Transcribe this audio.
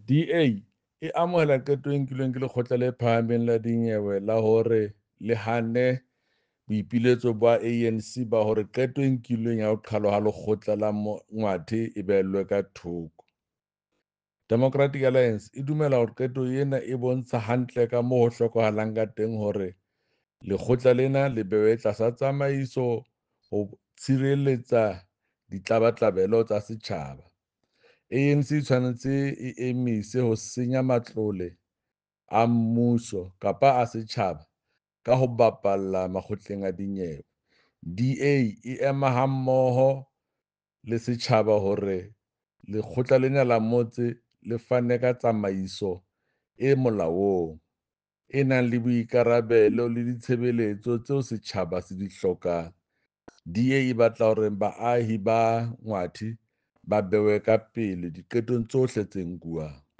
DA e amohela qeto e nkilweng ke Lekgotla le Phahameng la Dinyewe la hore le hanne boipiletso ba ANC ba hore qeto e nkilweng ya ho qhalwa ha Lekgotla la Ngwathe e behellwe ka thoko. Democratic Alliance e dumela hore qeto ena e bontsha hantle ka moo ho hlokahalang ka teng hore lekgotla lena le behwe tlasa tsamaiso ho tshireletsa ditlabatlabelo tsa setjhaba. ANC e tshwanetse e emise ho senya matlole a mmuso kapa a setjhaba ka ho bapalla makgotleng a dinyewe. DA e ema hammoho le setjhaba hore lekgotla lena la motse le fane ka tsamaiso e molaong, e nang le boikarabelo le ditshebeletso tseo setjhaba se di hlokang. DA e batla hore baahi ba Ngwathe ba behwe ka pele diqetong tsohle tse nkuwang.